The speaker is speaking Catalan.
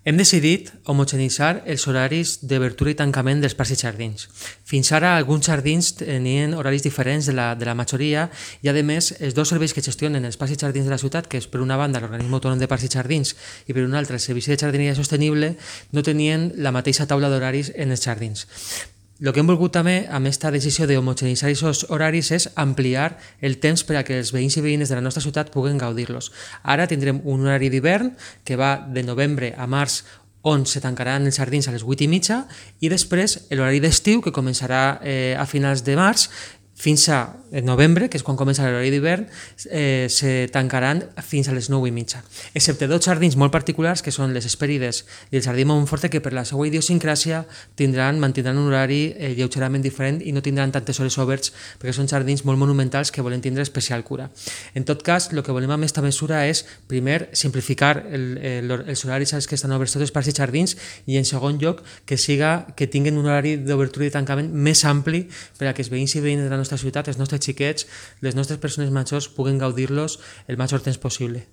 Hem decidit homogeneïtzar els horaris d'obertura i tancament dels parcs i jardins. Fins ara, alguns jardins tenien horaris diferents de la majoria i, a més, els dos serveis que gestionen els parcs i jardins de la ciutat, que és per una banda l'Organisme Autònom de Parcs i Jardins i per una altra el Servici de Jardineria Sostenible, no tenien la mateixa taula d'horaris en els jardins. El que hem volgut també amb aquesta decisió d'homogeneïtzar aquests horaris és ampliar el temps per a que els veïns i veïnes de la nostra ciutat puguen gaudir-los. Ara tindrem un horari d'hivern que va de novembre a març, on se tancaran els jardins a les 8:30, i després l'horari d'estiu, que començarà a finals de març, fins a novembre, que és quan comença l'horari d'hivern, se tancaran fins a les 9:30. Excepte dos jardins molt particulars, que són les Hespèrides i el Jardí Montforte, que per la seva idiosincràsia mantindran un horari lleugerament diferent i no tindran tantes hores oberts, perquè són jardins molt monumentals que volen tindre especial cura. En tot cas, el que volem amb aquesta mesura és, primer, simplificar els horaris als que estan oberts tots els parcs i jardins, i en segon lloc, que tinguin un horari d'obertura i tancament més ampli per a que els veïns i veïnes de la nostra ciutat, els nostres xiquets, les nostres persones majors puguen gaudir-los el major temps possible.